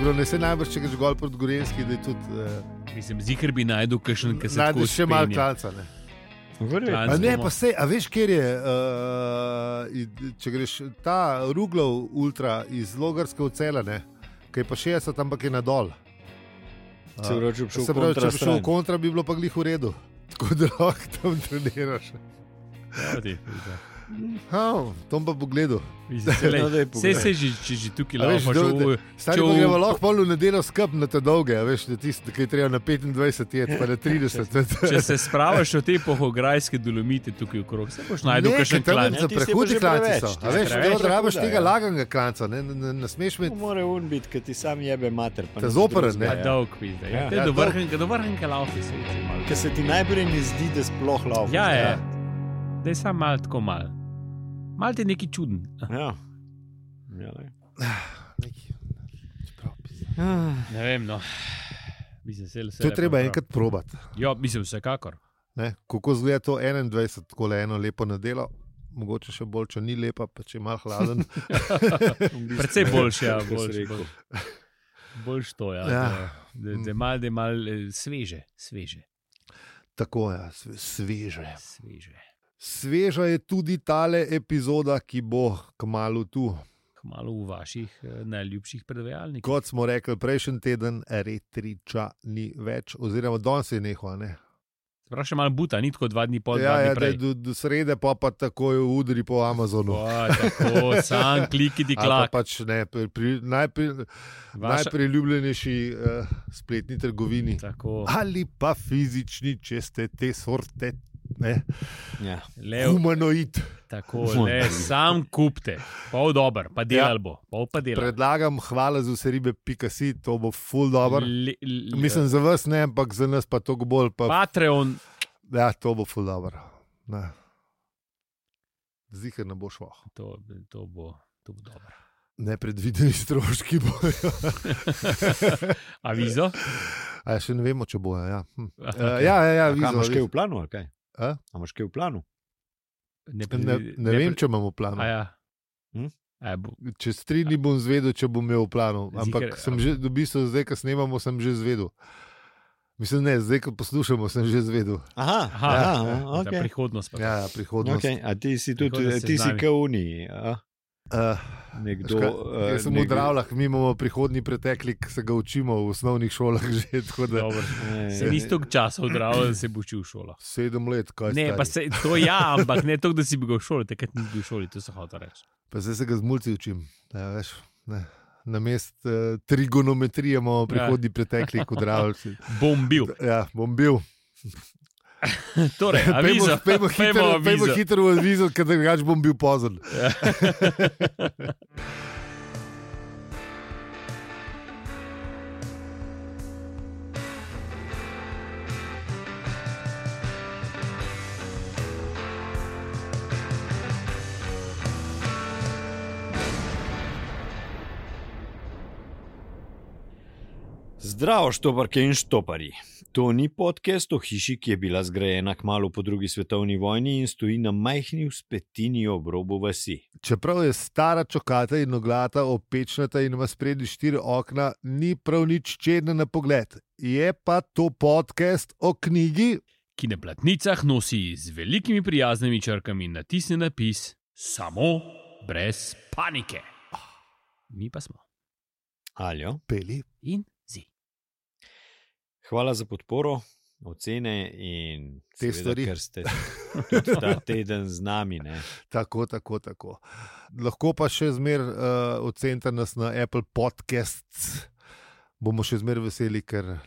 Čeprav ne se najbrž, če greš gol proti Gorenjski, da je tudi... Mislim, zikr bi najdel kakšen, ki se tako najdeš še malo klanca, ne? A ne, pa sej, a veš, kjer je, če greš ta Ruglov ultra iz Logarske v Cela, ne, ki je pa 60, ampak je nadol. Se pravi, če če bi šel v kontra, bi bilo pa glih v redu. Tako da lahko tam treniraš. Tom pa pogledal. Vse se že tukaj lahko. Stari pa gremo lahko pol v nedeljo skrb na te dolge, veš, da tisti, ki je treba na 25 jet, pa na 30. Če se spravaš o te pohograjske dolomite tukaj okrog, se boš najdel kakšen klan. Za prehudi klanci so. A veš, da rabaš tega laganega klanca, ne smeš imeti. Mora un biti, ker ti sam jebe mater. Te zoperen, ne? Dolg pizda. Do vrhnke laufi se vidi malo. Ker se ti najprej ne zdi, da sploh laufi. Ja. Da je sam malo tako malo. Mal ti je neki čuden. Ja. Ne vem, no. Mislim, to je treba enkrat probati. Ja, mislim, vsekakor. Ne? Kako zgleda to 21, tako eno lepo nedelo, mogoče še bolj, če ni lepa, pa če je malo hladen. Predvsej boljše, ja. Boljš to, ja. Da je malo sveže. Tako, ja, sveže. Sveža je tudi tale epizoda, ki bo kmalu tu. Kmalu v vaših najljubših predvajalnikih. Kot smo rekli prejšnji teden, Retriča ni več, oziroma danes je nehal, ne? Sprav še malo buta, ni tako 2 dni pol, 2 dni prej. Do srede pa takoj udri po Amazonu. Tako, sam klikiti klak. Pač ne, najpriljubljenejši spletni trgovini. Tako. Ali pa fizični, če ste te sorte. Ja. Humanoid. Tako, sam kupte, pol dober, pa delal bo. Predlagam, hvala za vse ribe.si, to bo ful dober. Mislim za vas ne, ampak za nas pa to bolj. Patreon. Ja, to bo ful dober. Zihar ne bo šlo. To bo dober. Nepredvideni stroški bojo. Avizo? Še ne vemo, če bojo, ja. Ja, avizo. Imaš kaj v planu, ali kaj? A imaš kaj v planu? Ne vem, če imam v planu. Čez 3 dni bom zvedel, če bom imel v planu. Ampak sem že, v bistvu, zdaj, ko snemamo, sem že zvedel. Mislim, ne, zdaj, ko poslušamo, sem že zvedel. Aha, okay. Prihodnost. Ja, prihodnost. Okay. A ti si tudi, ti si k Uniji, nekdo... Jaz sem v Dravljah, mi imamo prihodnji preteklik, se ga učimo v osnovnih šolah že, tako da... Se nisi toliko časa v Dravljah, da se bo učil v šolah. 7 let, kaj ne, pa se, to ja, ampak ne toliko, da si bi ga v šoli, takrat nisi bil v šoli, to se hotel reči. Pa zdaj se ga z mulci učim, ja, veš, ne. Namest trigonometrije imamo prihodnji preteklik v Dravljah. Bom bil. Ja, bom bil. Torej, avizo. Pejmo hitro v avizo, ker drugače bom bil pozorn. Zdravo, štoparke in štopari. To ni podcast o hiši, ki je bila zgrajena kmalu po 2. svetovni vojni in stoji na majhni vzpetini ob robu vasi. Čeprav je stara, čokata in oglata, opečnata in ima spredi 4 okna, ni prav nič čedna na pogled. Je pa to podcast o knjigi, ki na platnicah nosi z velikimi prijaznimi črkami natisnjen napis Samo brez panike. Mi pa smo Aljo, Peli in Zi. Hvala za podporo, ocene in te stvari, ker ste tudi ta teden z nami. Ne? Tako. Lahko pa še zmer ocenite nas na Apple Podcasts. Bomo še zmer veseli, ker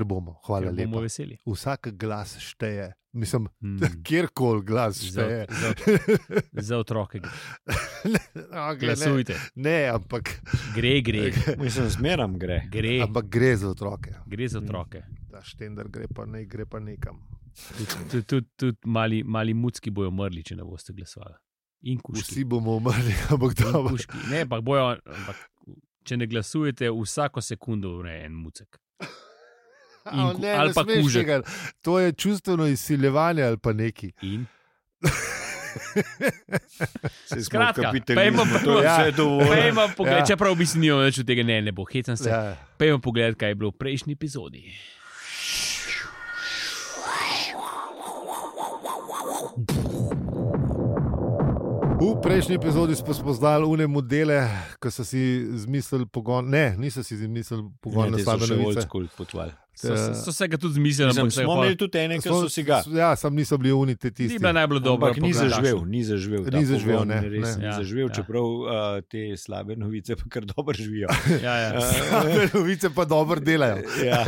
bomo. Hvala lepa. Bomo veseli. Vsak glas šteje. Mislim, kjerkoli glas šteje. Za otroke. Glasujte. Ne, ampak... Gre. Mislim, zmeram gre. Ampak gre za otroke. Gre za otroke. Ta štender gre pa nekam. Tudi mali mucki bojo umrli, če ne boste glasovali. In kuški. Vsi bomo umrli, ampak dobro. Ne, ampak če ne glasujete, vsako sekundo umre en mucek. Ali pa kužek. To je čustveno izsiljevanje ali pa neki. In? Skratka, pejmo pogled, čeprav bi si nimel več od tega, ne bo, hecam se. Pejmo pogled, kaj je bilo v prejšnji epizodi. V prejšnji epizodi smo spoznali une modele, ki so si izmislili pogon. Ne, niso si izmislili pogon na slabe novice. So se ga tudi zmislili. Smo imeli tudi ene, ki so si ga. Ja, sam niso bili oni te tisti. Ni bila najbolj dobra. Ampak ni zaživel. Ni zaživel, Ja. čeprav te slabe novice pa kar dobro živijo. Slabe novice pa dobro delajo. Ja.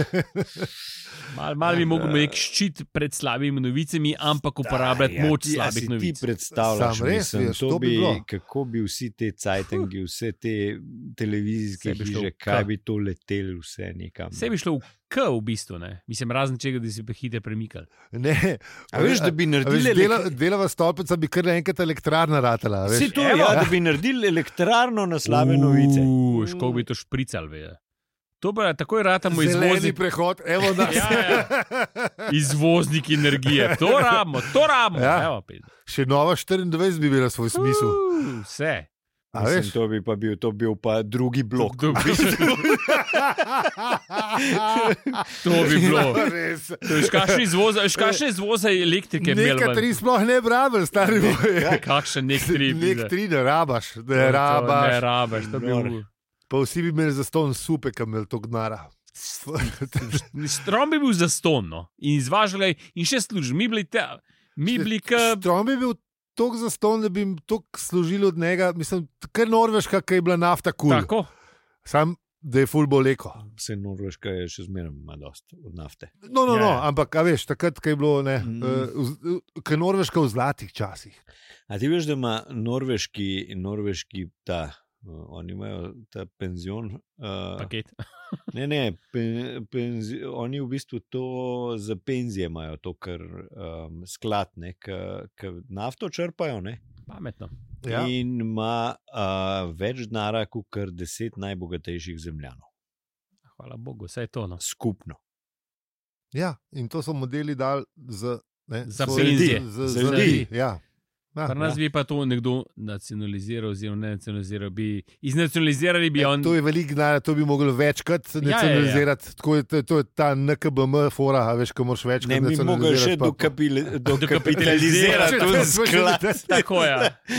Mal bi mogel nek ščit pred slabimi novicami, ampak uporabljati moč slabih novic. Ti predstavljaš, mislim, kako bi vsi te cajtangi, vse te televizijske hiše, kaj bi to leteli vse nekam. Vse bi šlo v bistvu, ne? Mislim, razen čega, da si pa hitro premikali. Ne, a veš, da bi naredili delava stolpica bi kar naenkrat elektrarna ratala. Vsi to, da bi naredili elektrarno na slabe novice. Škoda bi to šprical, ve. To pa takoj ratamo izvozni prehod, evo nas. Izvoznik energije, to rabimo. Ja. Evo, še nova 24 bi bila svoj smisel. Vse. Mislim, to bil pa drugi blok. To bi bilo. Kakšne izvoza elektrike? Nekaj tri sploh ne brabel, stari moj. Kakšen nek tri? Nek tri ne rabaš. Ne rabaš, to bi bilo. Pa vsi bi imeli zaston supe, kam imeli to gnara. Strom bi bil zaston, no. In izvažali, in še služili. Strom bi bil toliko zaston, da bi jim toliko služili od njega. Mislim, kar Norveška, ki je bila nafta kul. Tako. Sam, da je ful boleko. Vse Norveška je še zmeraj ima dost od nafte. No, ampak, a veš, takrat, ko je bilo, ko je Norveška v zlatih časih. A ti veš, da ima norveški ta... Oni imajo ta penzion. Paket. Oni v bistvu to za penzije imajo, to kar sklad, ki nafto črpajo. Ne? Pametno. Ja. In ima več denarja kot kar 10 najbogatejših zemljanov. Hvala Bogu, vse je to. No. Skupno. Ja, in to so modeli dali za penzije. Za ljudi. Ja. Pri nas bi pa to nekdo nacionaliziral, oziroma ne nacionaliziral, iznacionalizirali bi on. To je veliko denarja, to bi mogli večkrat nacionalizirati. Ja. To je ta NKBM fora, a veš, ko moraš večkrat nacionalizirati. Ne bi mogli še dokapitalizirati to sklad. Tako je.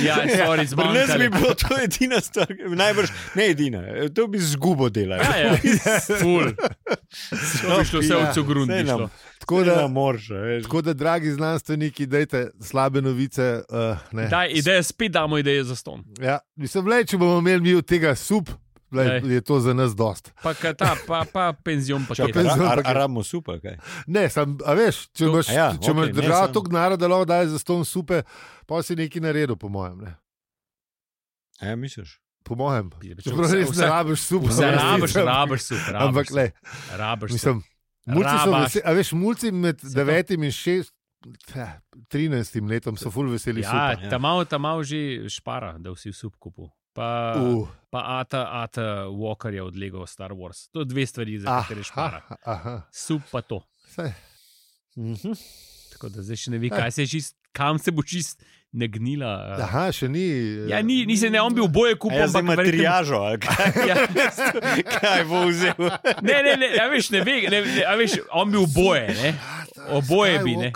Ja, sorry, zmanjkali. Pri nas bi bilo to edina stvar, najbrž ne edina, to bi zgubo delali. Ja, ful. To bi šlo vse v cogrun. Tako da, dragi znanstveniki, dajte slabe novice. Ideje spet damo ideje za ston. Ja, mislim, če bomo imeli mi od tega sup, je to za nas dost. Pa penzion paket. Rabimo supa, kaj? Ne, a veš, če imaš država toliko denarja, da lahko daje za ston supe, pa si nekaj naredil, po mojem. Ne? A ja, misliš? Po mojem. Čeprav res ne rabiš sup. Rabiš sup. Ampak le. Rabiš sup. Mulci med 9 in 13 letom so ful veseli supa. Ja, ta malo že špara, da vsi sup kupu. Pa Ata Walker je od Lego Star Wars. To je dve stvari, za katere špara. Sup pa to. Tako da zdaj še ne ve, kam se bo čist ne gnila. Aha, še ni. Ja, ni se ne, on bi oboje kupil. Ja, za materijažo, ali kaj? Kaj bo vzel? Ne, a veš, on bi oboje, ne? Oboje bi, ne?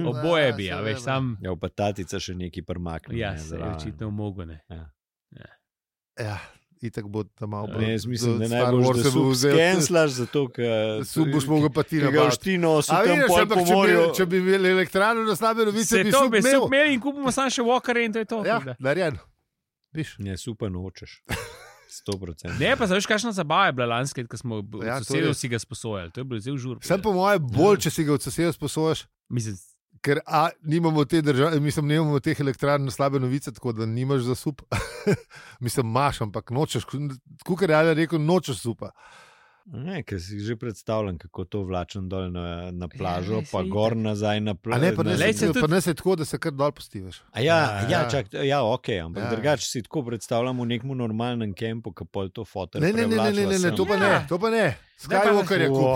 Oboje bi, a veš, sam... Ja, pa tatica še neki prmakne. Ja, se je očitno mogo, ne? Ja. Itak bo tam malo bolj. Jaz mislim, da najbolj, da sup skenslaš, zato, ker sup boš mogel pa ti nabaviti. Ga oštino so tam pol po morju. Če bi imeli elektrarno na slabe novice, bi sup imel. Se to bi imeli in kupimo samo še Walker in to je to. Ja, narejeno. Ne, supa nočeš. 100%. Ne, pa zaveš, kakšna zabava je bila lanske, ko smo od sosedov si ga sposojali. To je bilo zelo žur. Sem po moje bolj, če si ga od sosedov sposojaš. Mislim, ker nimamo te države, nimamo teh elektrarn na slabe novice, tako da nimaš za sup. Mislim, imaš, ampak nočeš, tako ker je rekel, nočeš supa. Ne, ker si že predstavljam, kako to vlačem dol na plažo, pa gor nazaj na plažo. Ne, pa ne se tako, da se kar dol postiviš. Ok, ampak drugače si tako predstavljam v nekem normalnem kempu, ki pol to fotor prevlačila. Ne, to pa ne. Skywalker je kup,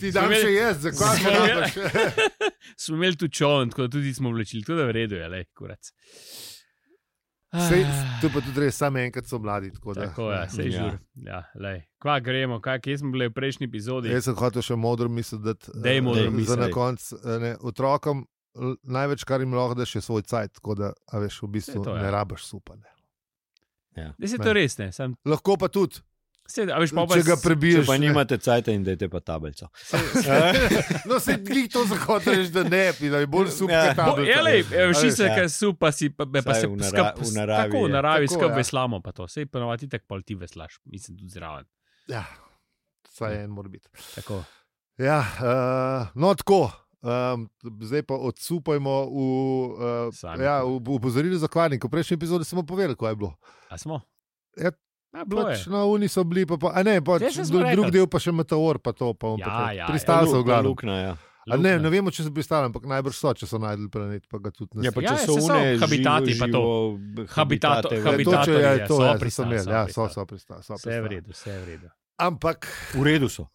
ti dam še jaz, zakaj še rabaš? Smo imeli tu čovn, tako da tudi smo vlečili, to da v redu je, kurac. Tu pa tudi res, samo enkrat so mladi. Tako je, sej žur. Kva gremo, kje smo bili v prejšnji epizodi? Jaz sem hotel še modro misliti, za na konc otrokom največ, kar jim lahko daš, je svoj cajt, tako da, a veš, v bistvu ne rabaš supa. Da se to res ne. Lahko pa tudi. Če ga prebiješ. Če pa nimate cajta in dajte pa tablico. No, se glih to zahotraš, da ne, da je bolj super tablica. Vši se, kaj supa si, pa se v naravi. Tako v naravi skrb veslamo pa to. Sej ponovati tak pol ti veslaš, mislim tudi zraven. Ja, saj en mora biti. Tako. Ja, no tako. Zdaj pa odsupajmo v upozorilo za kvarnik. V prejšnji epizodi smo povedali, kaj je bilo. A smo? Ja, na uni so bili, drug del pa še meteor, pa to. Pristali so v glavu. Ne vemo, če so pristali, ampak najbrž so, če so najdeli planet, pa ga tudi ne. So habitati, pa to. Habitati so pristali. Vse v redu. Ampak v redu so.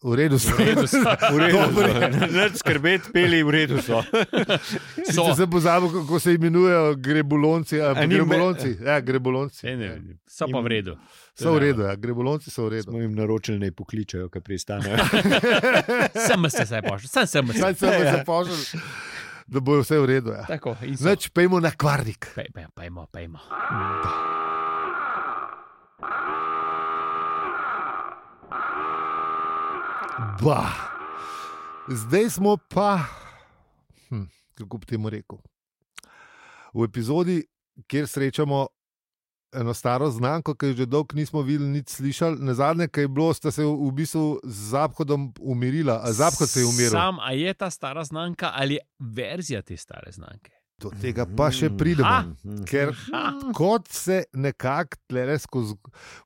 Ne skrbeti, peli v redu so. Se pozabil, kako se imenujejo grebolonci. Grebolonci. So pa v redu. So v redu, grebolonci so v redu. Smo jim naročili, naj pokličajo, kaj pristanejo. Sem se pošel. Da bo vse v redu. Znači, pejmo na kvarnik. Pejmo. Zdaj smo pa, kako bi temu rekel, v epizodi, kjer srečamo eno staro znamko, ki jo že dolgo nismo videli, nič slišali. Nazadnje, kaj je bilo, sta se v bistvu z Zaphodom umirila. Zaphod se je umiril. A je ta stara znamka ali verzija te stare znamke? Do tega pa še pridemo, ker kot se nekako tlele skozi,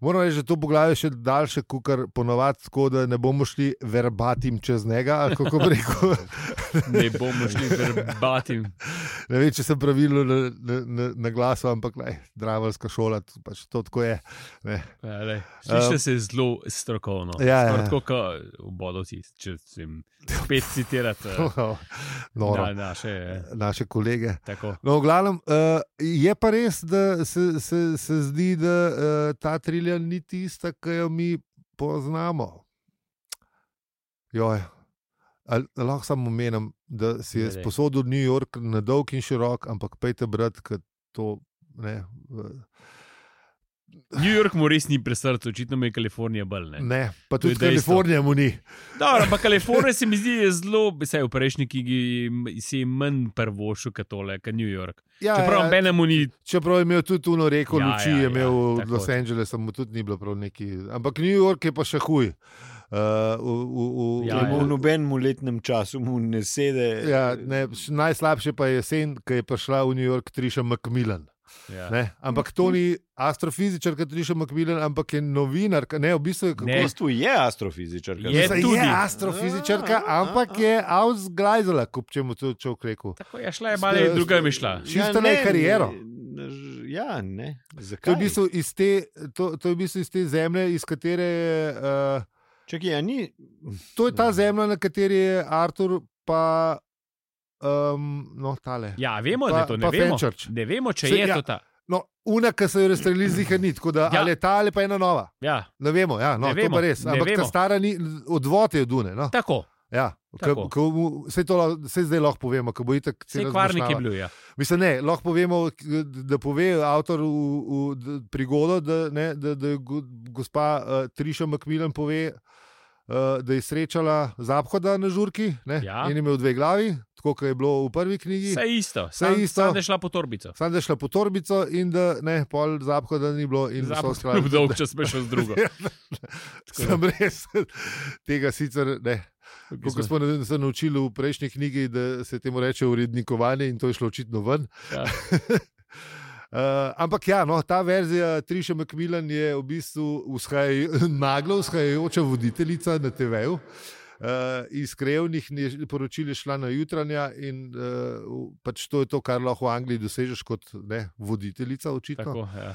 moram reči, da to poglavje še daljše, kukar ponovati, tako da ne bomo šli verbatim čez njega, ali kako bi rekel. Ne bomo šli verbatim. Ne vem, če sem pravilno na glasu, ampak dravalska šola, pač to tako je. Sliši se zelo strokovno. Tako kot v Bodovci, če sem spet citirati naše kolege. Tako. No, v glavnem, je pa res, da se zdi, da ta trilja ni tista, ki jo mi poznamo. Lahko samo omenim, da si je sposodil New York na dolg in širok, ampak pejte brat, ker to ne. New York mu res ni pri srcu, očitno mu je Kalifornija bolj. Ne, pa tudi Kalifornija mu ni. Dobro, ampak Kalifornija se mi zdi zelo, vsaj v prejšnji knjigi si manj prvošel kot tole, kot New York. Čeprav mu ni. Čeprav je imel tudi tuno reko luči, je imel v Los Angelesu, mu tudi ni bilo prav neki. Ampak New York je pa še huj. V nobenem letnem času mu ne sede. Najslabše pa je jesen, ko je prišla v New York Trisha McMillan. Ampak to ni astrofizičarka Trisha McMillan, ampak je novinarka. V bistvu je astrofizičarka. Je astrofizičarka, ampak je ausgleizala, kot če mu to človek rekel. Tako je šla, je malo druga mi šla. Šiftala je kariero. Zakaj? To je v bistvu iz te zemlje, iz katere Čekaj, ni. To je ta zemlja, na kateri je Artur pa tale. Ja, vemo, da je to, ne vemo, če je to ta. No, una, ki so jo razstrelili z njih, ni, tako da ali je ta ali pa ena nova. Ne vemo, to pa res. Ampak ta stara ni, odvod je od une. Tako. Vse zdaj lahko povemo, ko bo itak celo kvarnik je bil, Mislim, ne, lahko povemo, da pove avtor v prigodo, da gospa Trisha McMillan pove, da je srečala Zaphoda na žurki in imel dve glavi, tako kot je bilo v prvi knjigi. Vse isto. Sam da je šla po torbico. In da pol Zaphoda ni bilo. Zaphoda je bil dolg čas, šel z drugo. Sem res tega sicer ne. Kako smo se naučili v prejšnji knjigi, da se temu reče urednikovanje in to je šlo očitno ven. Ampak ja, no, ta verzija Trisha McMillan je v bistvu naglo vzhajajoča voditeljica na TV-ju. Iz krajevnih poročil je šla na jutranja in pač to je to, kar lahko v Angliji dosežeš kot voditeljica, očitno. Tako, ja.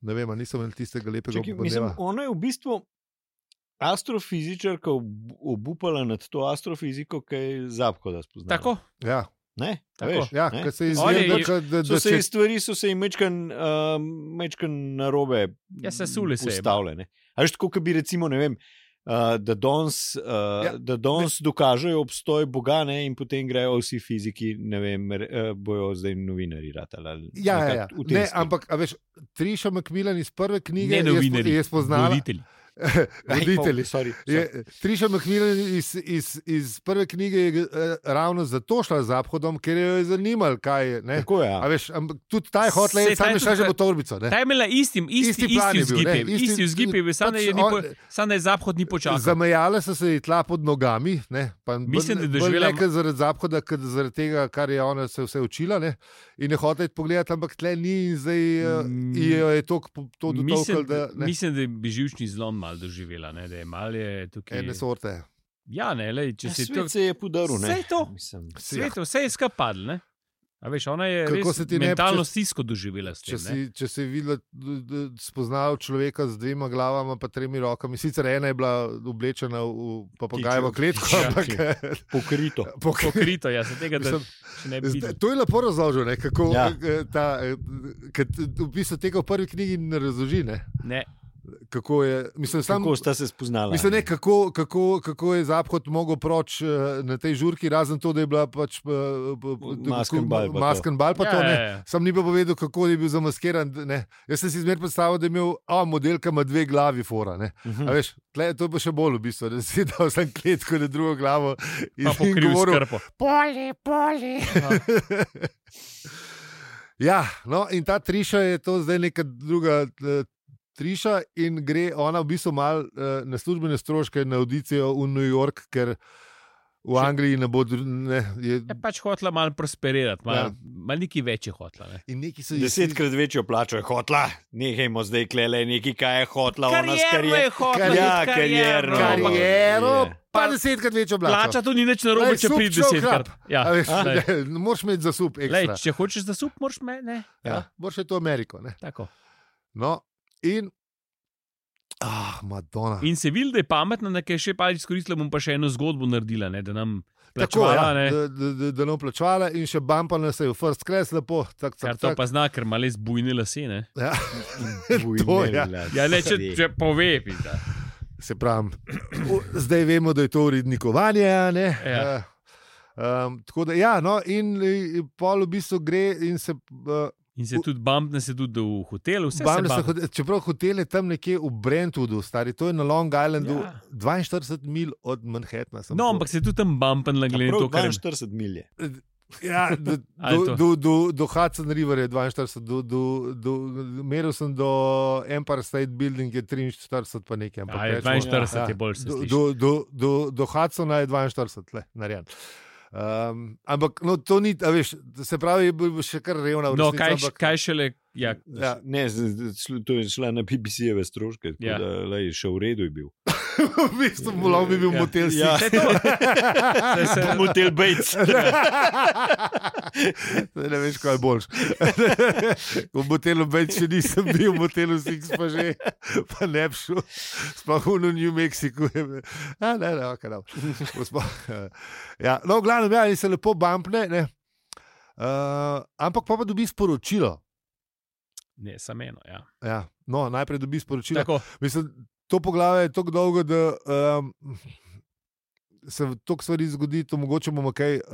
Ne vem, nisem imel tistega lepega obdobja. Ona je v bistvu astrofizičarka obupala nad to astrofiziko, ki je Zaphoda spoznala. Tako? Ja. Ne? Veš, ja, ne. Se izgleda, stvari so se jim mečkan narobe postavljene. A veš, tako, bi recimo, ne vem, da danes dokažejo obstoj Boga, ne, in potem grejo vsi fiziki, ne vem, bojo zdaj novinari ratali. Ja. Ne, ampak, a veš, Trisha McMillan iz prve knjige je spoznala... Voditelji. Trisha McMillan iz prve knjige je ravno zato šla z Zaphodom, ker jo je zanimalo, kaj je. Tako je. A veš, tudi ta je hotla, sam je šla že v torbico. Ta je imela isti vzgib, samo da je Zaphod ni počakal. Zamejale so se ji tla pod nogami, ne, pa mislim, da je doživela nekaj zaradi Zaphoda, zaradi tega, kar je ona se vse učila, ne, in je hotla pogledati, ampak tle ni in zdaj je to dotolkal, da... Mislim, da je živčni zlom malo doživela, ne, da je malo tukaj... Ene sorte. Ja, ne, lej, če si svet se je podaril, ne. Vse to, svet, vse je skapadl, ne. A veš, ona je res mentalno stisko doživela s tem, če si videla, spoznala človeka z 2 glavama pa 3 rokami, sicer ena je bila oblečena v papagajevo kletko, ampak... Pokrito, ja, se tega, da še ne bi videl. To je lepo razložil, ne, kako v bistvu tega v prvi knjigi ne razloži, ne. Ne. Kako sta se spoznala? Mislim, ne, kako je Zaphod mogel proč na tej žurki, razen to, da je bila pač masken bal pa to, ne. Sam ni pa povedal, kako je bil zamaskiran, ne. Jaz sem si zmer predstavil, da je imel modelka ima 2 glavi fora, ne. A veš, to je pa še bolj v bistvu, da si dal sam kletko na drugo glavo in govoril, poli. Ja, no, in ta Trisha je to zdaj neka druga Trisha in gre ona v bistvu malo na službene stroške na audicijo v New York, ker v Angliji ne bo... Je pač hotla malo prosperirati, malo neki večji hotla. Ne? In neki so 10-krat večjo plačo je hotla, nehajmo zdaj klele neki, kaj je hotla. Kariero je hotla. Ja, kariero. Pa 10-krat večjo plačo. Plača to ni nič narobe, če pridi 10-krat. Ja. Moraš imeti zasup ekstra. Če hočeš zasup, moraš imeti, ne. Ja, moraš je to Ameriko, ne. Tako. No, in Madonna. In se vidi, da je pametna, nekaj še pa izkoristila, bom pa še eno zgodbo naredila, ne, da nam plačevala. Da nam plačevala in še bumpala se je v first class lepo. Kar to pa zna, ker ima les bujne lase, ne. Ja, ja ne, če pove, pizda. Se pravim, zdaj vemo, da je to urednikovanje, ne. Ja. Tako da, ja, no, in pol v bistvu gre in se... In se tudi bumpne se tudi v hotelu, vse se bumpne. Čeprav hotel je tam nekje v Brentwoodu, stari, to je na Long Islandu, 42 mil od Manhattana. No, ampak se tudi tam bumpne, glede to, kar... 42 milje. Ja, do Hudson River je 42, meril sem do Empire State Building je 43 pa nekaj. Ja, 42 je bolj se sliši. Do Hudsona je 42, narejen. Ampak no, to ni, a veš, se pravi, je še kar revna v resnici. No, kaj šele, ja. Ne, to je šla na BBC-jeve stroške, tako da še v redu je bil. V bistvu bi bil motel si. Ja, motel Bates. Ne veš, kaj je boljš. V motelu Bates še nisem bil, v motelu Six pa že, pa ne bi šel. Sploh v New Mexico. Ne, ok, no. Ja, no, v glavnem, ja, in se lepo bumpne, ne. Ampak pa dobi sporočilo. Ne, samo eno, ja. Ja, no, najprej dobi sporočilo. Tako. Mislim, to poglavje je tako dolgo, da se toliko stvari zgodi, to mogoče bomo kaj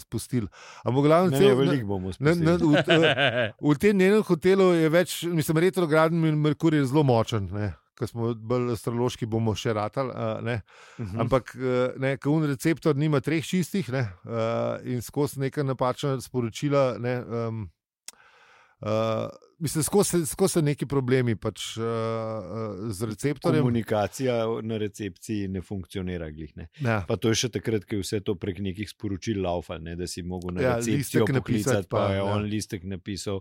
spustili. Veliko bomo spustili. V tem njenem hotelu je več, mislim, retrogradni Merkur je zelo močen, ne. Ko smo bolj astrološki, bomo še ratali, ne. Ampak ko receptor nima 3 čistih, ne, in skozi neka napačna sporočila, ne, mislim, skozi se neki problemi pač z receptorjem. Komunikacija na recepciji ne funkcionira glih, ne. Ja. Pa to je še takrat, ko je vse to prek nekih sporočil laufal, ne, da si mogel na recepcijo poklicati, pa je on listek napisal,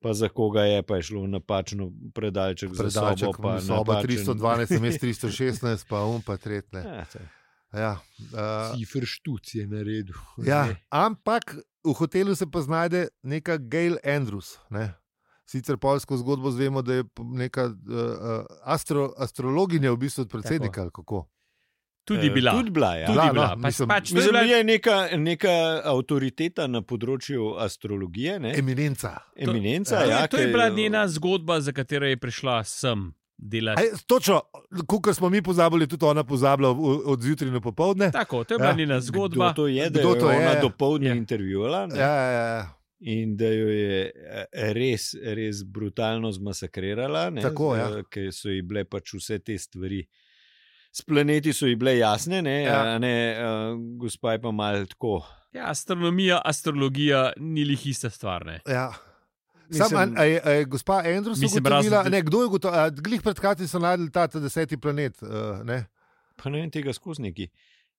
pa za koga je, pa je šlo napačno predalček za sobo. Soba 312, mest 316, pa pa tretne. Cifr štuc je naredil. Ampak v hotelu se pa znajde neka Gail Andrews, ne? Sicer polsko zgodbo zvemo, da je neka astrologinja v bistvu od predsednika, ali kako? Tudi bila. Mislim, da je neka avtoriteta na področju astrologije. Ne? Eminenca. To je bila njena zgodba, za katero je prišla sem delati. Točno, kot smo mi pozabili, tudi ona pozabila od zjutraj na popoldne. Tako, to je bila njena zgodba. Kdo to je, da je ona dopoldne intervjuvala? In da jo je res brutalno zmasakrirala, ker so ji bile pač vse te stvari. S planeti so ji bile jasne, gospa je pa malo tako. Astrologija ni lih ista stvar. Gospa Andrews ugotovila, kdo je ugotovila, glih pred kratkim so najdeli ta 10. planet. Pa ne vem tega skozi neki.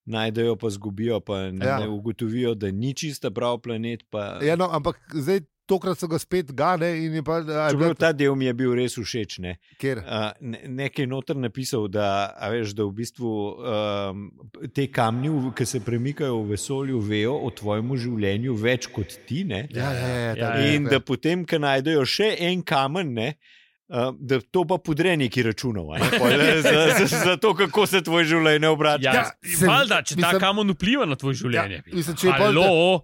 Najdejo pa zgubijo, pa ne ugotovijo, da ni čista prav planet. Ampak zdaj tokrat so ga spet gane. Čeprav ta del mi je bil res všeč. Ker? Nekaj noter napisal, da v bistvu te kamni, ki se premikajo v vesolju, vejo o tvojem življenju več kot ti. In da potem, ko najdejo še en kamen, da to pa podre neki računov, za to, kako se tvoje življenje obrača. Valjda, če ta kamen vpliva na tvoje življenje.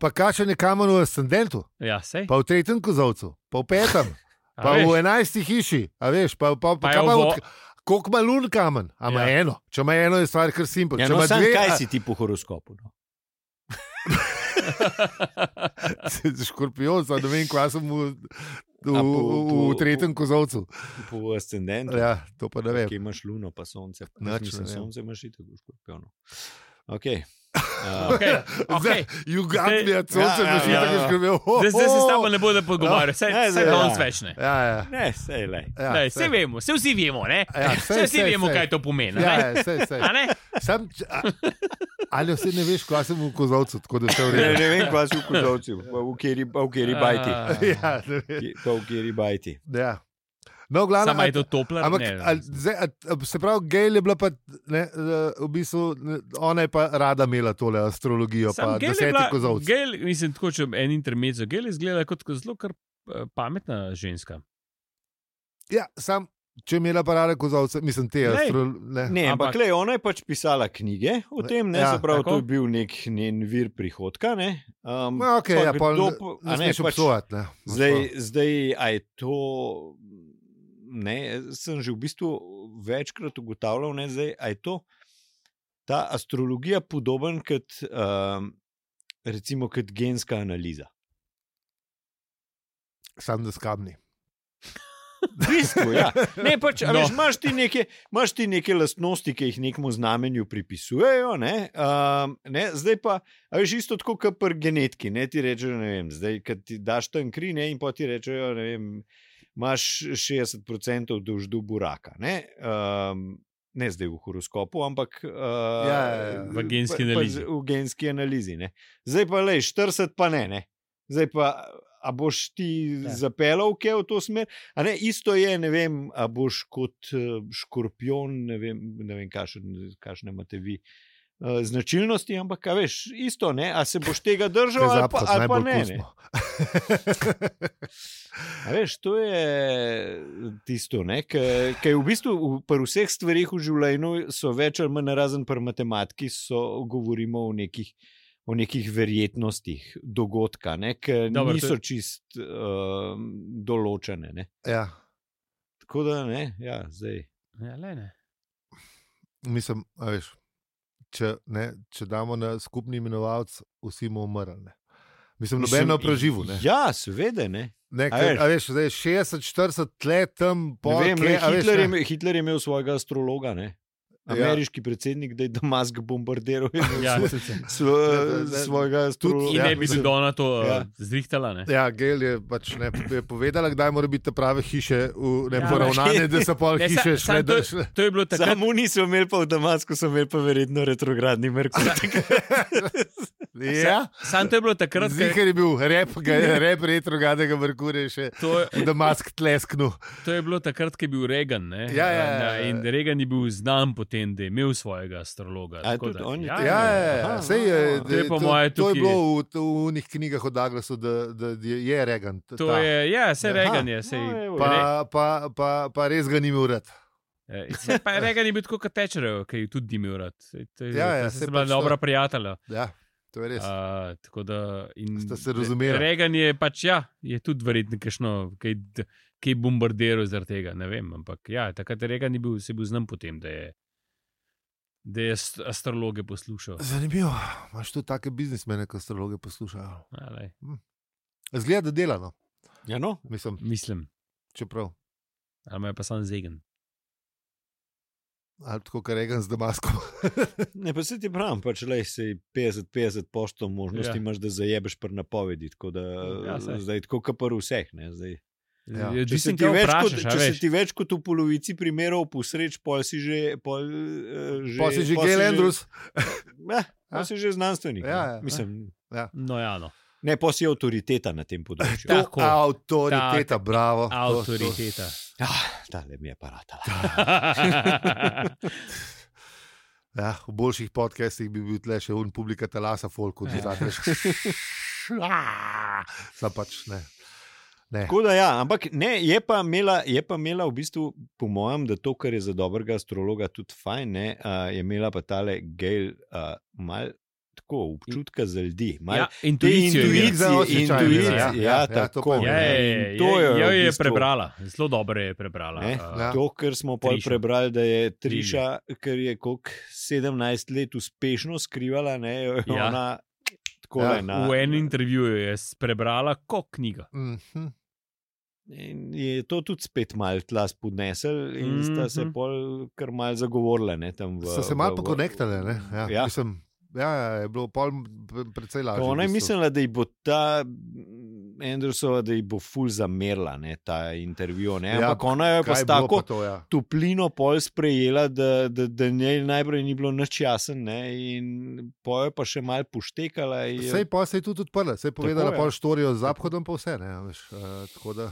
Pa kakšen je kamen v ascendentu, pa v 3. kozovcu, pa v 5., pa v 11. hiši, koliko ima lun kamen, a ima eno. Če ima eno, je stvar kar simpel. Kaj si ti po horoskopu? Škorpion, ne vem, kaj sem v 3. kozovcu. Po ascendentu. To pa ne vem. Kje imaš luno, pa sonce. Sonce imaš i tako v škorpionu. Jugatnija, sonce imaš i tako v škorpionu. Zdaj se s tabo ne bodo pogovarjali. Vse danes več ne. Ne, sej lej. Vse vemo, vsi vemo, ne? Vsi vemo, kaj to pomeni. Ali vse ne veš, kaj sem v kozovcu, tako da se vredi. Ne vem, kaj si v kozovcu, v kjeri bajti. Pa v kjeri bajti. No, glavno, sama je to topla. Se pravi, Gail je bila pa, v bistvu, ona je pa rada imela tole astrologijo, pa 10. kozovc. Gail, mislim, tako, če en intermezzo, Gail je izgledala kot zelo kar pametna ženska. Če je imela pa rada kozovce, mislim, te astrologije. Ne, ampak ona je pač pisala knjige o tem, se pravi, to je bil nek njen vir prihodka. Ne smeš obsojati. Zdaj, a je to... sem že v bistvu večkrat ugotavljal, a je to ta astrologija podoben kot recimo kot genska analiza. Sam da skabni. V bistvu, Ne, pač, veš, imaš ti neke lastnosti, ki jih nekemu znamenju pripisujejo, zdaj pa, veš, isto tako kot pri genetiki, ti rečejo, ne vem, zdaj, kad ti daš tam kri, in pa ti rečejo, ne vem, imaš 60% dolždubu raka, ne zdaj v horoskopu, ampak v genski analizi. V genski analizi, Zdaj pa, 40 pa ne. Zdaj pa, a boš ti zapeljal v to smer? Isto je, ne vem, a boš kot škorpion, ne vem kakšne imate vi značilnosti, ampak a veš, isto, a se boš tega držal ali pa ne. A veš, to je tisto, ker v bistvu pri vseh stvarih v življenju so več ali manj razen pri matematiki, govorimo o nekih verjetnostih dogodka, ki niso čist določene. Tako da zdaj. Mislim, a veš, če damo na skupni imenovalec, vsi bomo umrli. Mislim, nobeno preživel. Ja, seveda, A veš, zdaj 60-40 let tam... Hitler je imel svojega astrologa, ameriški predsednik, da je Damask bombardiral svojega astrologa. In ne bi se Dona to zrihtala. Ja, Gail je pač je povedala, kdaj mora biti te prave hiše poravnane, da so pol hiše šle. To je bilo takrat. Samo niso imeli pa v Damasku, so imeli pa verjetno retrogradni Merkur. Sam to je bilo takrat. Zihar je bil rep retrogradnega Merkurja še v Damask tlesknu. To je bilo takrat, ko je bil Reagan. In Reagan je bil znan potem, da je imel svojega astrologa. To je bilo v njih knjigah o Douglasu, da je Reagan. Vse Reagan je. Pa res ga ni imel rad. Reagan je bil tako kot Thatcherjev, ki je tudi imel rad. Se bila dobra prijatelja. Ja. To je res. Tako da, ste se razumeli. Reagan je pač, je tudi verjetno kaj bombardiral zaradi tega, ne vem, ampak takrat Reagan se bil znan potem, da je astrologe poslušal. Zanimivo, imaš tu take biznismene, ki astrologe poslušajo. Zgleda, da delano. Ja, no? Mislim. Čeprav. Ali me je pa sam zegen. Ali tako, kar Reagan z Damaskom. Ne, pa se ti pravim, pač lej si 50-50 poštov možnosti imaš, da zajebeš pri napovedi, tako da zdaj tako kapar vseh, ne, zdaj. Če se ti več kot v polovici primerov posreč, pol si že Gail Andrews. Pol si že znanstvenik. Mislim. No. Ne, pa si avtoriteta na tem področju. Avtoriteta, bravo. Avtoriteta. Tale mi je paratala. V boljših podcastih bi bil tle še publika talasa folku. Sam pač ne. Tako da ampak ne, je pa imela v bistvu, po mojem, da to, kar je za dobrega astrologa tudi fajn, ne, je imela pa tale Gail mal tako občutka za ljudi. Intuicija. Tako. Jo je prebrala, zelo dobro je prebrala. To, kar smo pol prebrali, da je Trisha, ker je koliko 17 let uspešno skrivala, ne, ona tako v enem intervjuju je prebrala kot knjiga. In je to tudi spet malo tla spodnesel in sta se pol kar malo zagovorila. Sta se malo pokonektale, ne? Mislim, je bilo pol precej lažje. Ona je mislila, da ji bo ta Andrewsova, da ji bo ful zamerila, ne, ta intervju, ne, ampak ona je pa s tako toplino pol sprejela, da njej najprej ni bilo nič jasen, ne, in pol je pa še malo poštekala. Sej pa se je tudi odprla, sej povedala pol štorijo z Zaphodom pa vse, ne, veš, tako da.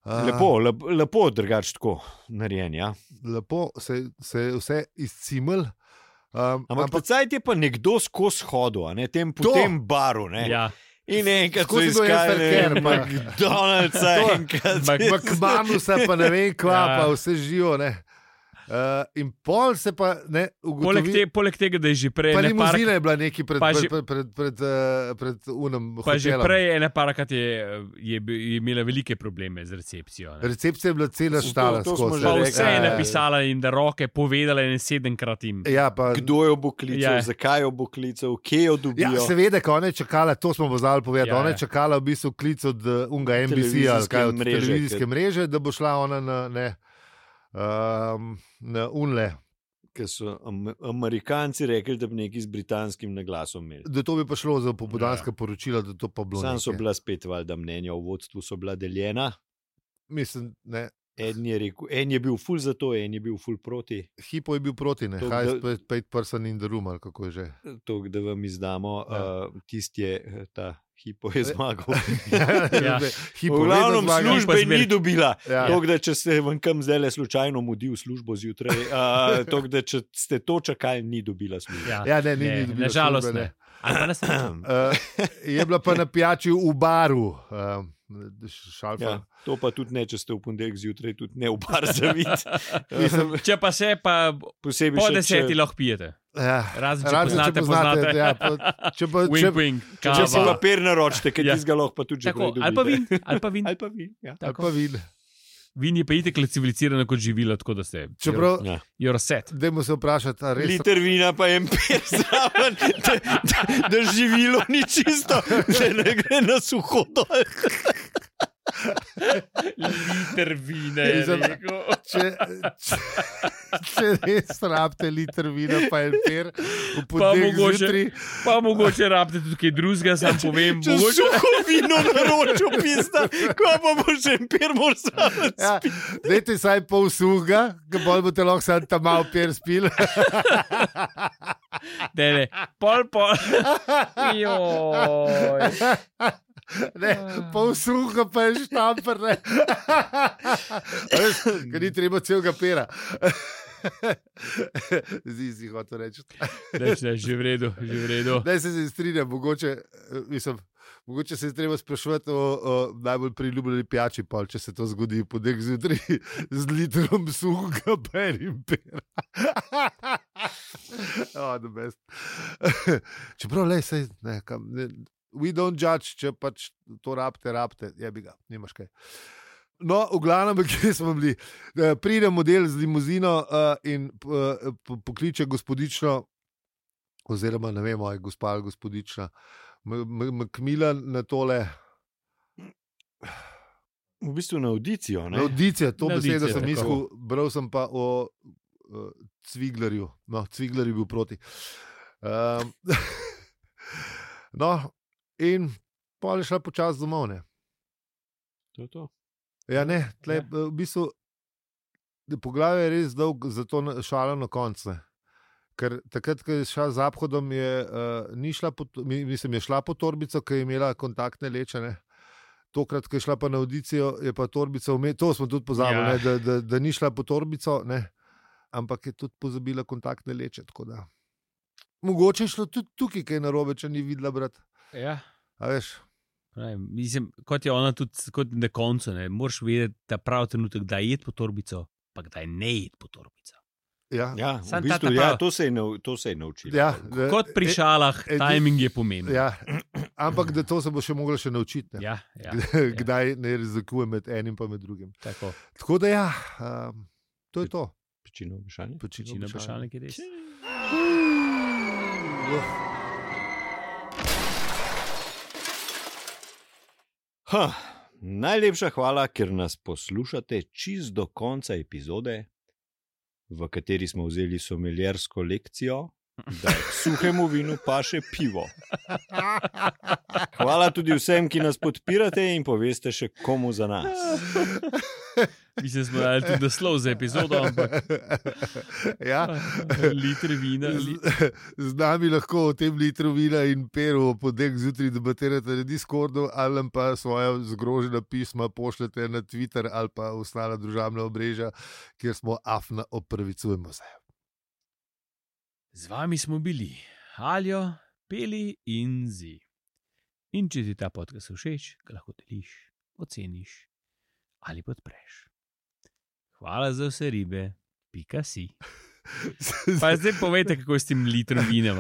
Lepo drugače tako narejen, ja. Lepo se je vse izcimel. Ampak pocajt je pa nekdo skozi hodil, po tem baru, ne. Ja. In enkrat so iskali McDonald'sa, McManusa, pa ne vem kva, pa vse živo, ne. In pol se pa ne ugotovi. Poleg tega, da je že prej. Pa limuzina je bila neki pred unem hotelom. Pa že prej ene parakrat je imela velike probleme z recepcijo. Ne? Recepcija je bila cela štala. Pa vse je napisala in da roke povedala in 7-krat jim. Kdo jo bo klical, zakaj jo bo klical, kje jo dobijo. Ja, seveda, ko ona je čakala, to smo pozvali povedati, ona je čakala v bistvu klic od unga NBC ali kaj od televizijske mreže, da bo šla ona na unle. Ker so Amerikanci rekli, da bi nekaj z britanskim naglasom imeli. Da to bi pa šlo za popoldanska poročila, da to pa bilo nekaj. Sam so bila spet valjda mnenja v vodstvu, so bila deljena. Mislim, ne. En je bil ful za to, en je bil ful proti. Hipo je bil proti, ne? Highest paid person in the room, ali kako je že. To, da vam izdamo, tisti je ta Hipo je zmagal. V glavnem službe ni dobila. To, da če ste vam kam zdaj slučajno mudi v službo zjutraj, to, da če ste to čakali, ni dobila službe. Ja, ne, ni dobila nažalost službe. Ne. Je bila pa na pijači v baru. To pa tudi ne, če ste v ponedeljek zjutraj, tudi ne v bar zavit. Če pa se, pa po 10 lahko pijete. Razen, če poznate. Če si papir naročite, ker ti ga lahko pa tudi že prej dobite. Ali pa vin. Vin je pa itek civilizirano kot živilo, tako da ste. Čeprav, you're set. Dajmo se vprašati, res. Liter vina pa je empir zraven, da živilo ni čisto, da ne gre na suho dol. Liter vina je rekel. Če res rabite liter vina, pa en per, pa mogoče rabite tudi kaj drugega, sam povem. Če suho vino naročil, pizda, ko pa boš en per moral spiti. Dajte saj pol suhega, ga bolj boste lahko sam tam malo per spil. Ne, pol. Joj. Ne, pol suha pa je štamper, ne. Ker ni treba celega pera. Zdi si hotel reči. Ne, že v redu. Ne, se strinjam, mogoče se je treba sprašovati o najbolj priljubljeni pijači, pol, če se to zgodi po nek zjutraj z litrom suhega pa enim pera. The best. Čeprav, sej, ne, we don't judge, če pač to rabite, jebi ga, nimaš kaj. No, v glavnem, kje smo bili? Pride model z limuzino in pokliče gospodično, oziroma ne vem, gospa ali gospodična, Macmillan na tole. V bistvu na audicijo, ne? Na audicijo, to besedo sem mislil, bral sem pa o Cviglerju. No, Cvigler je bil proti. No, in pol je šla počas domov, ne? To je to. Ja, ne, tle, v bistvu, poglavje je res dolg, zato šala na koncu. Ker takrat, ko je šla z Abhodom, je šla po torbico, ki je imela kontaktne leče, ne. Tokrat, ko je šla pa na audicijo, je pa torbica to smo tudi pozabili, ne, da ni šla po torbico, ne, ampak je tudi pozabila kontaktne leče, tako da. Mogoče je šlo tudi tukaj, kaj narobe, če ni videla, brat. Ja. A veš? Mislim, kot je ona tudi, kot na koncu, ne, moraš vedeti, da prav trenutek, da je po torbico, pa kdaj ne je po torbico. Ja, v bistvu, to se je naučil. Ja, kot pri šalah, timing je pomemben. Ja, ampak da to se bo še mogla še naučiti. Ja, kdaj ne razlikuje med enim pa med drugim. Tako da to je to. Pečino vprašanje. Pečino vprašanje, ki je res. Najlepša hvala, ker nas poslušate čist do konca epizode, v kateri smo vzeli someljersko lekcijo, da k suhemu vinu paše pivo. Hvala tudi vsem, ki nas podpirate in poveste še komu za nas. Mislim, smo dali tudi naslov za epizodo, ampak liter vina. Z nami lahko o tem litru vina in peru podek zjutraj debatirate na Discordu ali pa svoja zgrožena pisma pošljete na Twitter ali pa ostala družabna omrežja, kjer smo afna opravičujemo se. Z vami smo bili Aljo, Peli in Zi. In če ti ta podcast všeč, ga lahko deliš, oceniš ali podpreš. Hvala za vse ribe, .si. Pa zdaj povejte, kako je s tem litrom vina.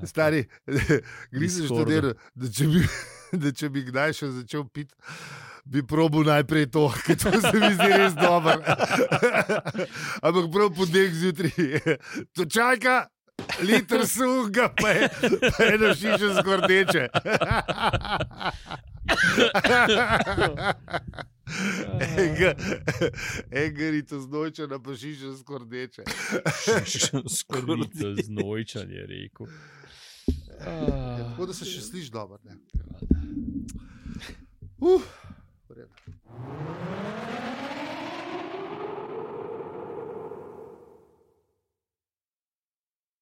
Stari, glisi študiral, da če bi kdaj še začel piti, bi probal najprej to, ker to se mi zdi res dobro. Ampak prav podek zjutraj. To čajka, liter suhega, pa je eno šišo skordeče. Engarito znojčana, pa šišo skordeče. Šišo znojčan je rekel. Tako da se še sliši dobro.